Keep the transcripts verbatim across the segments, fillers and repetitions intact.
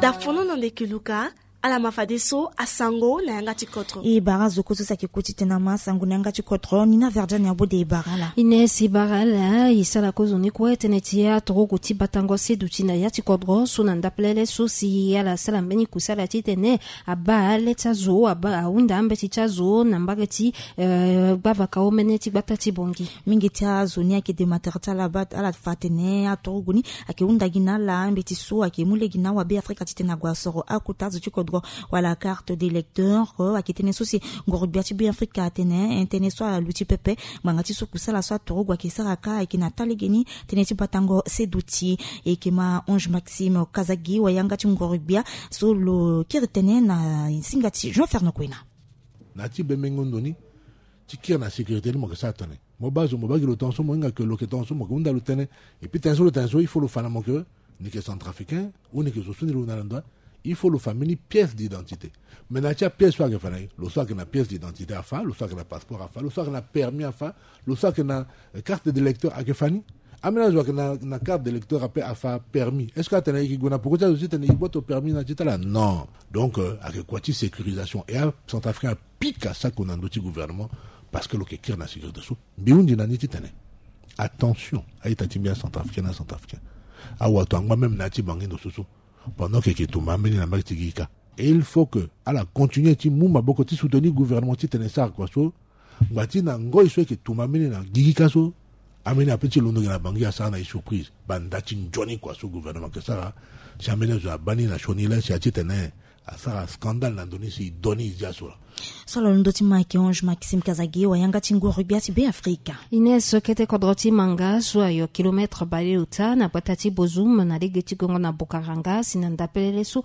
Dafono na ndeke luka. Ala ma fadeso asango na yanga ti kodro. E bara zo kue so si ayeke ku titene ama asango na yanga ti kodro ni na verdiane abode e bara ala. Ines e bara ala e sara kozoni kue tënë ti aturugu ti batango seduti na ya ti kodro so na ndapelele so si ala sara mbeni kusala titene abaa le ti azo ahunda ambeti ti azo na mbage ti gbavaka omene ti gbata ti bongi. Mingi ti azo ni ayeke dematere ti ala baa ala fa atene aturugu ni ayeke hunda gi na ala mbeti so ayeke mu lege na awabe afrika titene ague asoro akota azo ti kodro wala carte d'électeur. Ayeke tënë so si ngoro-gbia ti be afrika atene tënë so aluti pepe ngbanga ti so kusala so aturugu ayeke sara kâ ayeke na taa legeni. Tënë ti batango seduti e yeke ma ange maxime kazagi wayanga ti ngoro-gbia so lo kiri tënë na singa ti jean fernand kuena. Na ya ti bemengo ndo ni ti kiri na sécurité ni mo yeke sara tënë. Mo baa zo mo baa gi lo tongaso mo hinga ke lo yeke tongaso mo yeke hunda lo tënë. Epui tënë so lo tene so il faut lo fa na mo ke ni yeke centrafricain ou ni yeke zo so ni lo na lo ndoa. Il faut lo fa mbeni pièce d'identité. Mais na ya ti apièce so ayeke fa na ye lo so ayeke na pièce d'identité afa lo so ayeke na passeport afa lo so ayeke na permis afa lo so ayeke na carte d'électeur ayeke fa ni. Ambeni azo ayeke na carte d'électeur ape afa permis est-ce que atene e yeke gue na poko ti azo titene e gboto permis na ti tala non. Donc ayeke kua ti sécurisation e acentrafricain apika sako na ndö ti gouvernement. Parce que lo yeke kiri na sécurité so mbi hundi na ni titene attention a-ita ti mbi acentrafricain na acentrafricain. Awato angba même na ya ti bangi ndo so so pendant ke yeke tumba ambeni na mbage ti gigi kâ. Et il faut que ala continue ti mu maboko ti soutenir gouvernement titene e sara kua so ngba ti na ngoi so e yeke tumba mbeni na gigi kâ so. Ambeni ape ti londo gi na bangi asara na e surprise banda ti nzoni kua so gouvernement ayeke sara. Si ambeni azo abaa ni na sioni la si atitene asara scandale na ndo ni si e do ni e zia so laa. So ala londo ti ma ayeke ange maxime kazagi wayanga ti nguru-gbia ti be afrika. Ines so kete kodro ti manga so ayo kilometre baleota na gbata ti bozum na lege ti gongo na bukaranga si na ndapelele so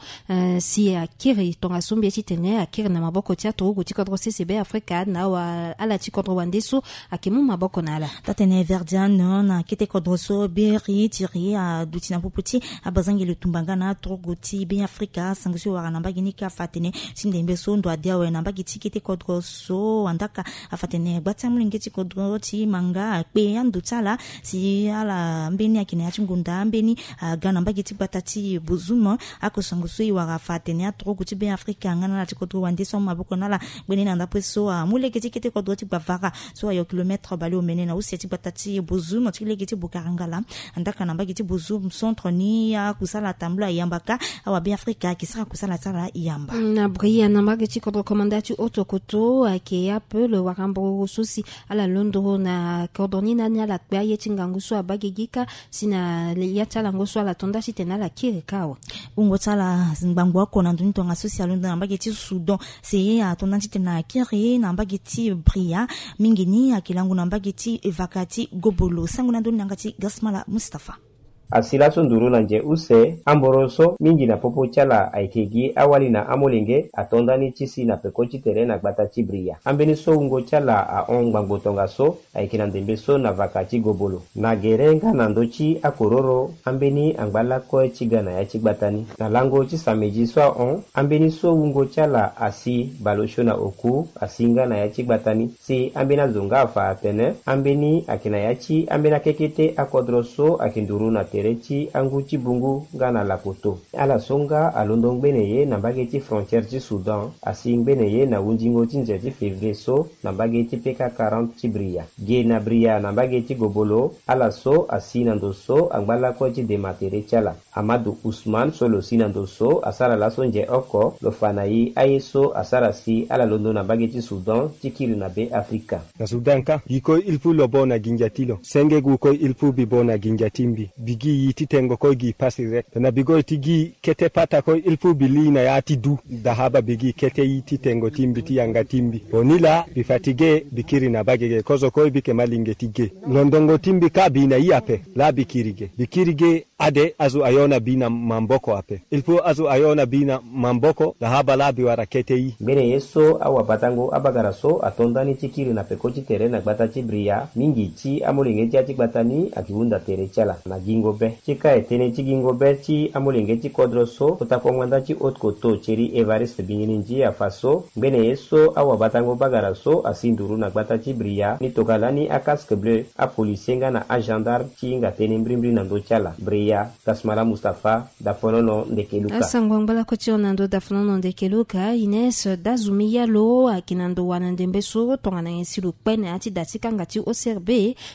si akiri tongaso mbia titene akiri na maboko ti aturugu ti kodro sese be afrika na awa ala ti kodro wande so ayeke mu maboko na ala. Taa-tene verdiane na kete kodro so beri tiri aduti na popo ti abazangeli tumba nga na aturugu ti be afrika sango so e wara na mbage ni ka afa atene ti ndembe so ndo ade awe na mbage ti kete kodro so andaka afa atene gba ti amolenge ti kodro ti manga akpe ando ti ala si ala mbeni ayeke na ya ti ngonda ambeni aga na mbage ti gbata ti bozum. Ako sango so e wara afa atene aturugu ti be afrika nga na ala ti kodro wande so amu maboko na ala. Gbene na ndapue so amu lege ti kete kodro ti gbavara so ayo kilometre baleomene na use ti gbata ti bozum ti lege ti bukarangala. Andaka na mbage ti bozum centre ni akusala atambula e yamba kâ. Awabe afrika ayeke sara kusala ti ala e yamba. Na bria na mbage ti kodro komanda ti otokoto ayeke ape lo wara mburu so si ala londo na kodro ni na ni ala kpe aye ti ngangu so abaa gigi kâ si na ya ti alango so ala to nda titene ala kiri kâ awe. Wungo ti ala ngbangbo oko na ndo ni tongaso si alondo na mbage ti soudan. Si ato nda titene akiri na mbage ti bria mingi ni ayeke lango na mbage ti evaka ti gobolo sango na ndoni na yanga ti gasmala mustapha. Asi laso nduru na nze use amboro so mingi na popo ti ala ayeke gi awali na amolenge ato nda ni ti si na peko ti tere na gbata ti bria ambeni so wungo ti ala ahon ngbangbo tongaso ayeke na ndembe so na vaka ti gobolo na gere nga na ndö ti akororo ambeni angba lakue ti ga na ya ti gbata ni. Na lango ti samedi so ahon ambeni so wungo ti ala asi baleosio na oku asi nga na ya ti gbata ni. Si ambeni azo nga afa atene ambeni ayeke na ya ti ambeni akekete akodro so ayeke nduru na tere ti angu ti bungu nga na lakoto. Ala so nga alondo ngbene ye na mbage ti frontière ti soudan asi ngbene ye na hundingo ti nze ti février so na mbage ti peka quarante ti bria. Ge na bria na mbage ti gobolo ala so asi na ndo so angba lakue ti dema tere ti ala. Amadu usman so lo si na ndo so asara laso nze oko lo fa na e aye so asara si ala londo na mbage ti soudan ti kiri na be afrika. Na soudan kâ gi kue il faut lo bâ na gingia ti lo senge gu kue il faut mbi bâ na gingia ti mbi mbi gi yi ti tengo kue gi pasi rek tena mbi goi ti gi kete pata kue il faut mbi li na ya ti du. Dahaba mbi gi kete yi ti tengo ti mbi ti yanga ti mbi. Bon ni laa mbi fatigué mbi kiri na mbage ge kozo kue mbi yeke ma linge ti ge. Londongo ti mbi kâ mbi na yi ape laa mbi kiri ge mbi kiri ge. Ade azo ayo na mbi na maboko ape il faut azo ayo na mbi na maboko dahaba laa mbi wara kete yi. Ngbene ye so awabatango abagara so ato nda ni ti kiri na peko ti tere na gbata ti bria mingi ti amolenge ti ya ti gbata ni ayeke hunda tere ti ala na gingo. Be ti ka e tënë ti gingo be ti amolenge ti kodro so kota kongbanda ti haute koto thierry évariste bingininzi afa so ngbene ye so awabatango bagara so asi nduru na gbata ti bria ni tokala ni akasque bleu apolisier nga na agendarme ti hinga tënë mbrimbri na ndö ti ala bria. Dasmala mustapha. Dafonono ndeke luka. Asango angbalako ti hon na ndö dafonono ndeke luka ines dazumi yalo ayeke na ndo wa na ndembe so tongana nyen si lo kpe na ya ti da ti kanga ti ocrb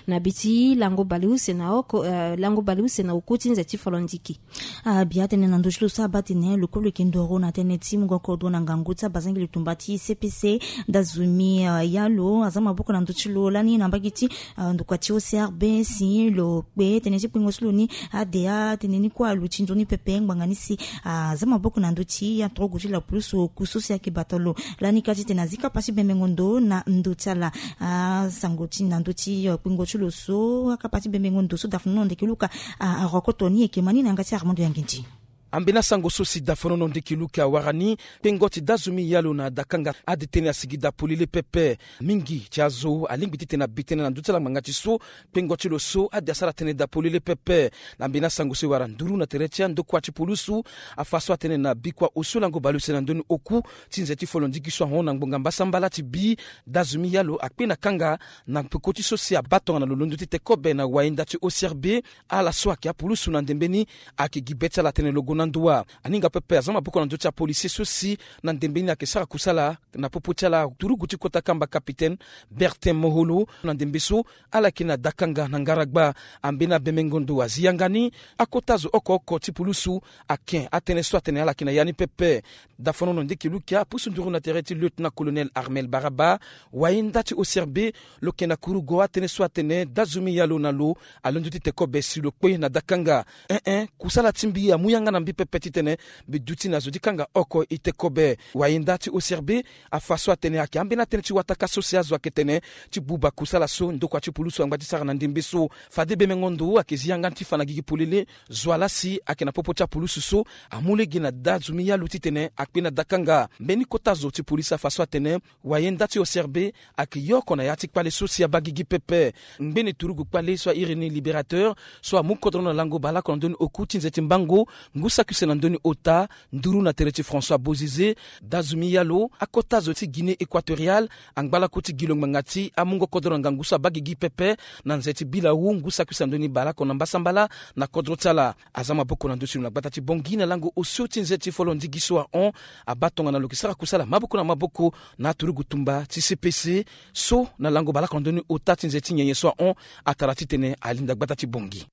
na bi ti lango baleuse na oko lango baleuse na oku ti nze ti folondiki. Abi atene na ndö ti lo so abaa tene lo kue lo yeke ndoro na tënë ti mungo kodro na ngangu ti abazangi lo tumba ti cpc. Dazumi yalo aza maboko na ndö ti lo lani na mbage ti ndokua ti ocrb si lo kpe tene ti kpengo ti lo ni ade atene ni kue aluti nzoni pepe ngbanga ni si aza maboko na ndö ti atorogo ti lapulusu oku so si ayeke bata lo. Lani ka titene azi kapa ti bembengo ndo na ndö ti ala asango ti na ndö ti kpengo ti lo so akapa ti bembengo ndo so dafonono ndeke luka arokoto ni eke ma ni na yanga ti armando yanginzi. Ambeni asango so si dafonono ndeke luka awara ni kpengo ti dazumi yalo na dakanga ade tënë asigi da polele pepe. Mingi ti azo alingbi titene abi tënë na ndö ti ala ngbanga ti so kpengo ti lo so ade asara tënë da polele pepe. Na mbeni asango so e wara nduru na tere ti andokua ti pulusu afa so atene na bikua osio lango baleuse na ndö ni oku ti nze ti folondiki so ahon na ngbonga mbasambala ti bi dazumi yalo akpe na kanga na peko ti so si abaa tongana lo londo ti te kobe na wayenda ti ocrb. Ala so ayeke apulusu na ndembe ni ayeke gi be ti ala atene lo gue na ndo wa. Aninga pepe aza maboko na ndö ti apolisier so si na ndembe ni ayeke sara kusala na popo ti ala turugu ti kota kamba capitaine bertin moholo na ndembe so ala yeke na dakanga na ngaragba. Ambeni abembengo ndo azi yanga ni akota zo oko oko ti pulusu ake atënë so atene ala yeke na ya ni pepe. Dafonono ndeke lukia apusu nduru na tere ti lieutenant colonel armel baraba wayenda ti ocrb lo yeke na kurugo atënë so atene dazumi yalo na lo alondo ti te kobe si lo kpe na dakanga. Ee kusala ti mbi amu yanga na mbi pepe titene mbi duti na zo ti kanga oko e te kobe. Wayenda ti ocrb afa so atene ayeke ambeni atënë ti wataka so si azo ayeke tene ti buba kusala so ndokua ti pulusu angba ti sara na ndembe so. Fade bembengo ndo ayeke zi yanga ni ti fa na gigi polele zo ala si ayeke na popo ti apulusu so amu lege na dazumi yalo titene akpe na dakanga. Mbeni kota zo ti polisi afa so atene wayenda ti ocrb ayeke yoko na ya ti kpale so si abaa gigi pepe. Ngbene turugu kpale so airi ni libérateur so amu kodro na lango baleoko na ndö ni oku ti nze ti mbango ngu saki use na ndö ni ota nduru na tere ti françois bozize dazumi yalo akota zo ti guinée équatoriale angbalako ti gi lo ngbanga ti amungo kodro na ngangu so abaa gigi pepe na nze ti bilawu ngu saki use na ndö ni baleoko na mbasambala na kodro ti ala. Aza maboko na ndö ti lo na gbata ti bongi na lango osio ti nze ti folo ndigi so ahon abaa tongana lo yeke sara kusala maboko na maboko na aturugu tumba ti cpc so na lango baleoko na ndö ni ota ti nze ti nyenye so ahon atara titene alinda gbata ti bongi.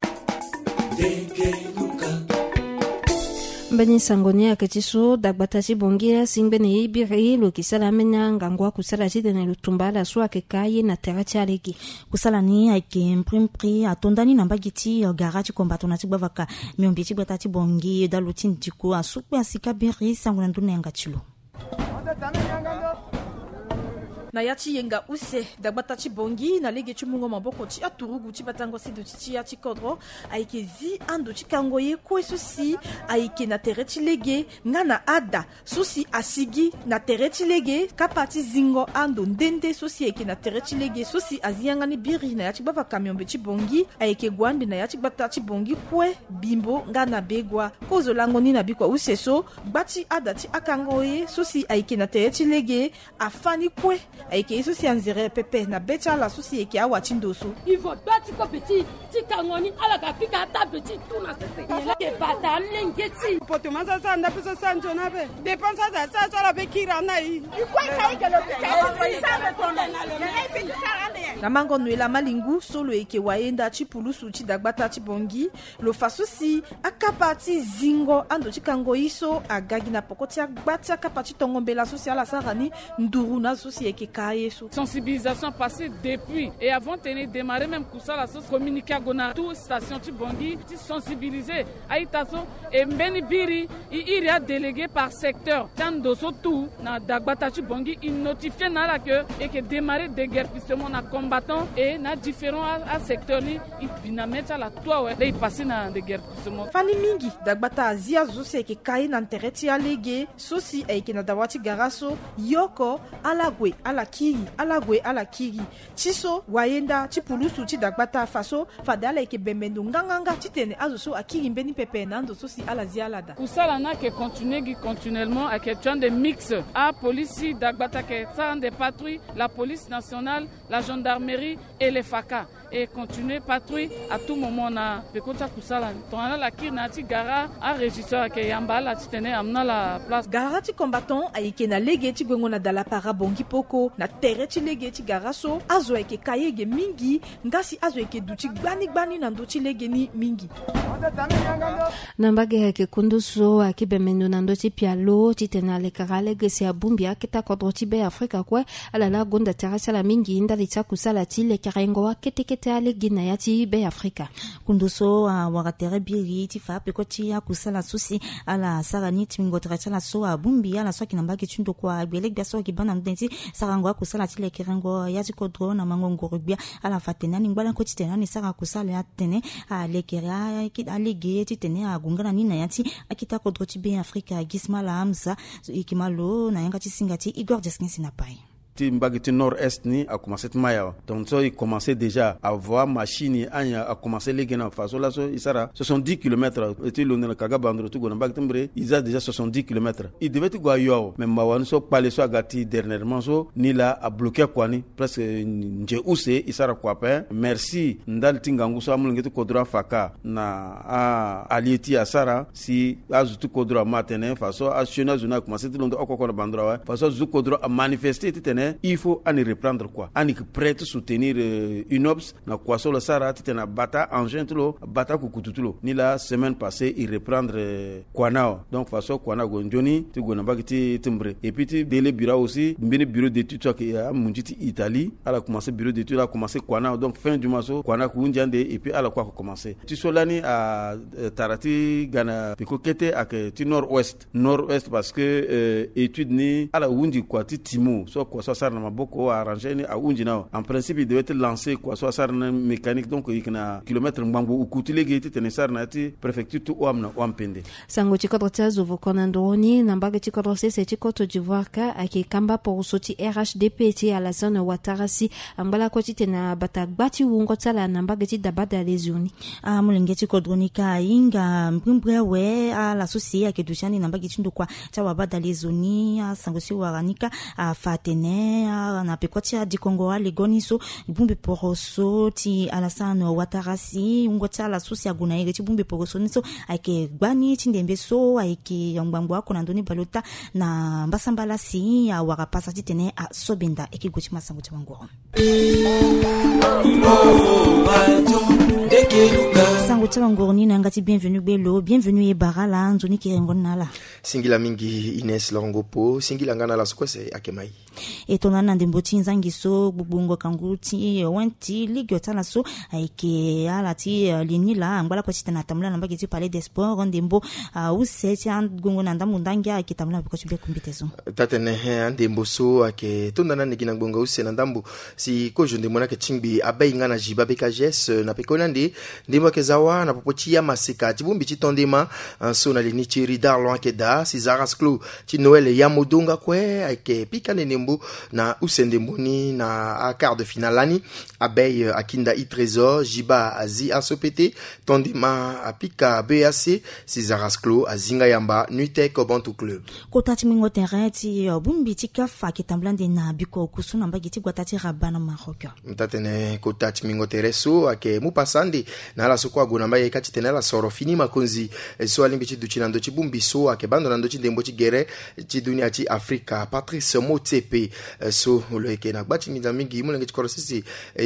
Mbeni sango ni ayeke ti so dagbata ti bongi asi ngbene ye biri lo yeke sara ambeni angangu akusala titene lo tumba ala so ayeke ka ye na tere ti alege. Kusala ni ayeke mprimpri ato ndani na mbage ti gara ti komba tongana ti gbavaka miombe ti gbata ti bongi dalo ti ndiko asu kue asi ka biri sango na ndoni na yanga ti lo. Na ya ti yenga use dagbata ti bongi na lege ti mungo maboko ti aturugu ti batango siduti ti ya ti kodro ayeke zi ando ti kango ye kue so si ayeke na tere ti lege nga na ada so si asigi na tere ti lege kapa ti zingo ando nde nde so si ayeke na tere ti lege so si azi yanga ni biri na ya ti gbavaka miombe ti bongi ayeke gue ande na ya ti gbata ti bongi kue bimbo nga na begua. Kozo lango ni na bikua use so gba ti ada ti akango ye so si ayeke na tere ti lege afa ni kue ayeke ye so si anzere pepe na be ti ala so si ayeke awa ti ndo so. Ivo gba ti kobe ti ti kango ni ala ga pika ata be ti tu na sese. Ala ke bata amlenge ti. Poto ma sa sa nda pe sa sa nzona be. Dépense sa sa so ala be kira na i. I kue ka i ke lo pika ti sa be tona. Na mango noela malingu so lo yeke wayenda ti pulusu ti dagbata ti bongi lo fa so si akapa ti zingo ando ti kango ye so aga gi na poko ti agba ti akapa ti tongo mbela so si ala sara ni nduru na azo so si ayeke ka ye so. Sensibilisation passée depuis et avant tene démarrer même kusala so communiqué ague na tout station ti bongi ti sensibiliser a-ita so. E mbeni biri e iri adélégué par secteur ti ando so tout na dagbata ti bongi e notifié na ala ke e yeke démarrer déguerpissement na combattant et na différents asecteur ni e bi na mê ti ala tout awe laa e passé na déguerpissement. Fani mingi dagbata azi azo so si ayeke ka ye na tere ti alege so si ayeke na dawa ti gara so yoko ala gue ala Akiri ala gue ala kiri ti so wayenda ti pulusu ti dagbata fa so fade ala yeke bembe ndo nganganga titene azo so akiri mbeni pepe na ando so si ala zi ala daa. Kusala ni ayeke continuer gi continuellement, ayeke tio ande mix. Apolisi dagbata ayeke sara ande patrouille, la police nationale, la gendarmerie et les faka e continuer patrouille à tout moment na peko ti akusala ni. Tongana ala kiri na ya ti gara, arégisseur ayeke yamba ala titene amu na ala place. Gara ti combattant ayeke na lege ti guengo na dalapara bongi poko na tere ti lege ti gara so azo ayeke ka yege mingi. Nga si azo ayeke duti gbani gbani na ndö ti lege ni mingi. Na mbage ayeke kundu so ayeke bembe ndo na ndö ti pialo titene alekere alege si abongbi akete akodro ti Be Afrika kue. Ala laa gonda tere ti ala mingi ndali ti akusala ti lekerengo akete kete alege na ya ti Be Afrika. Kundu so awara tere biri ti fa peko ti akusala so si ala sara ni ti mingo tere ti ala so abongbi ala so ayeke na mbage ti ndokua gbele gbia so ayeke baa na ndö ti sarango akusala ti lekerengo ya ti kodro na mango ngoro gbia. Ala fa tene ani ngbalako titene ani sara kusala ya tene alekere alege titene ague nga na ni na ya ti akete akodro ti Be Afrika. Gismala Hamza so e yeke ma lo na yanga ti singa ti Igor Jeskin si na pai. Ti mbage ti nord est ni akomanse ti ma awa. Donc so e komanse déjà avoir machine anyen akomanse lege na fa so laso e sara soixante-dix kilomètres. E ti londo na kaga bandro ti gue na mbage ti mbre e za déjà soixante-dix kilomètres. E devait ti gue ayo awe, mais mawa ni so kpale so aga ti dernièrement so ni laa abloke akua ni. Presque nze use e sara kua ape. Merci ndali ti ngangu so amolenge ti kodro afaka na a allié ti e asara si azo ti kodro ama tene fa so asioni azo ni akomanse ti londo oko oko na bandro awe. Fa so azo ti kodro amanifeste titene il faut ani reprendre kua, ani yeke prêt ti soutenir UNOPS na kua so lo sara titene abata engin ti lo, abata kukutu ti lo. Ni laa semaine passée e reprendre kua ni awe. Donc fa so kua ni ague nzoni ti gue na mbage ti mbre. Et puis ti délai bira aussi mbeni bureau d'étude so ayeke amunzi ti Italie, ala komanse bureau d'étude, ala komanse kua ni awe. Donc fin du mois so kua ni ayeke hunzi ande et puis ala kue ayeke komanse. Ti so lani atara ti ga na peko kete ayeke ti nord ouest. Nord ouest parce que étude ni ala hunzi kua ti timo so kua so asara na maboko arranger ni ahunzi ni awe. En principe e devait ti lancer kua so asara na mécanique, donc e yeke na kilomètre ngbangbo uku ti lege titene e sara na ya ti préfecture ti Ouham na Ouham-Pendé. Sango ti kodro ti azo voko na nduru ni na mbage ti kodro sese ti Côte d'Ivoire ka ayeke kamba poroso ti R H D P ti Alassane Ouattara si angba lakue titene abata gba ti wungo ti ala na mbage ti dabada lezio ni. Amolenge ti kodro ni ka ahinga mbrimbri awe ala so si ayeke duti ande na mbage ti ndokua ti awabada lezio ni. Asango si wara ni ka afa atene na peko ti adikongo alego ni so bongbi poroso ti Alassane Ouattara si wungo ti ala so si ague na iri ti bongbi poroso ni so ayeke gbani ti ndembe so ayeke ngbangbo oko na ndö ni baleota na mbasambala si awara pasa titene asobenda. Eke gue ti ma sango ti mangoro. Sango ti ala ngoro ni na yanga ti Bienvenu Gbelo. Bienvenu e bara ala, nzoni kerengo ni na ala. Singila mingi Ines Longo Po, singila nga na ala so kue si ayeke ma e. E tonda ni na ndembo ti nzangi so gbogbo ngonga ngu ti wen ti ligue ti ala so ayeke ala ti li ni laa angba lakue titene atambula na mbage ti Palais des Sports ndembo use ti agongo na ndambo ndangi ayeke tambula na peko ti be kumbite so. Tatene andembo so ayeke tonda na ni gi na ngbonga use na ndambo si kozo ndembo ni ayeke tingbi abei nga na Jiba B K G S na pekoni ande. Ndembo ayeke za wa na popo ti amaseka ti bongbi ti tondema so na li ni ti Ridar Loin ayeke daa si Zaras Clos ti Noël Yamodonga kue ayeke pika ande ndembo na use ndembo ni na aquart de finale lani. Abei akinda e trésor, Jiba azi aso pete, tondema apika B A C, si Zaras Clos azi nga yamba Nuitech Bantu Club. Kota ti mingo terrain ti bongbi ti CAF ayeke tambula ande na biko oku so na mbage ti gbata ti Rabat na Maroc. Tatene kota ti mingo tere so ayeke mu pasa ande na ala so kue ague na mbage ka titene ala soro fini makonzi so alingbi ti duti na ndö ti bongbi so ayeke baa ndo na ndö ti ndembo ti gere ti dunia ti Afrika, Patrice Motsepe, so lo yeke na gba ti nginza mingi molenge ti kodro sese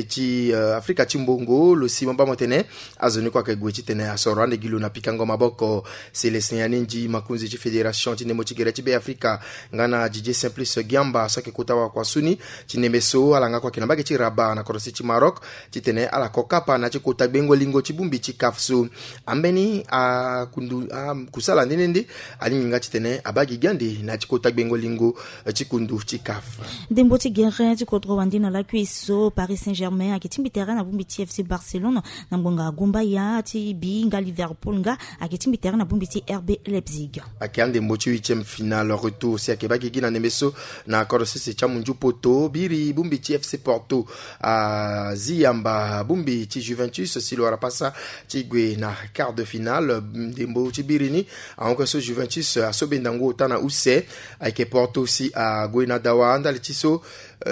ti Afrika ti mbongo, lo si mo baa mo tene azo ni kue ayeke gue titene asoro ande gi lo na pikango maboko. Célestin Yanenji, makonzi ti fédération ti ndembo ti gere ti Be Afrika, nga na Didier Simplice Giamba so ayeke kota wakua so ni ti ndembe so ala nga kue ayeke na mbage ti Rabat na kodro sese ti Maroc titene ala ko kapa na ya ti kota gbengo lingo ti bongbi ti CAF so. Ambeni akundu akusala nde nde nde alingbi nga titene abaa gigi ande na ya ti kota gbengo lingo ti kundu ti CAF. Ndembo ti gere ti kodro wande na lakui so Paris Saint-Germain ayeke tingbi tere na bongbi ti FC Barcelone, na ngbonga agumba ya ti bi nga Liverpool nga ayeke tingbi tere na bongbi ti R B Leipzig. Ayeke andembo ti huitième finale retour si ayeke baa gigi na ndembe so na kodro sese ti amunzu poto biri bongbi ti FC Porto azi yamba bongbi ti Juventus si lo wara pasa ti gue na quart de finale. Ndembo ti biri ni ahon kue so Juventus asobe ndangu ota na use. Ayeke Porto si ague na dawa ndali ti so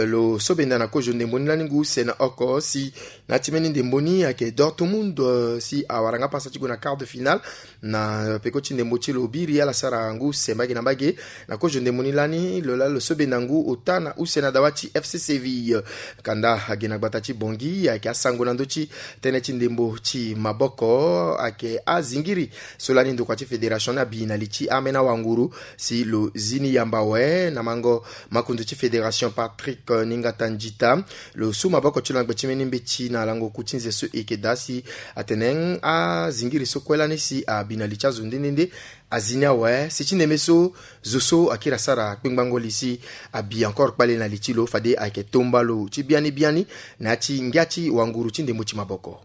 lo sobe nda na kozo ndembo ni lani ngu use na oko si na ya ti mbeni ndembo ni ayeke Dortmund si awara nga pasa ti gue na quart de finale. Na peko ti ndembo ti lo biri ala sara ngu use mbage na mbage na kozo ndembo ni lani lo laa lo sobe ndangu ota na use na dawa ti FC Séville. Kanda age na gbata ti Bangui ayeke asango na ndö ti tënë ti ndembo ti maboko ayeke azingiri so lani ndokua ti fédération ni abi na li ti amena wanguru si lo zi ni yamba awe na mango makonzo ti fédération Patrick Ningata Njita. Lo su maboko ti lo na gbe ti mbeni mbeti na lango ku ti nze so e yeke daa si atene azingiri so kue lani si abi na li ti azo nde nde nde azi ni awe si ti ndembe so zo so akiri asara kpengbango li si abi encore kpale na li ti lo fade ayeke tomba lo ti biani biani na ya ti ngia ti wanguru ti ndembo ti maboko.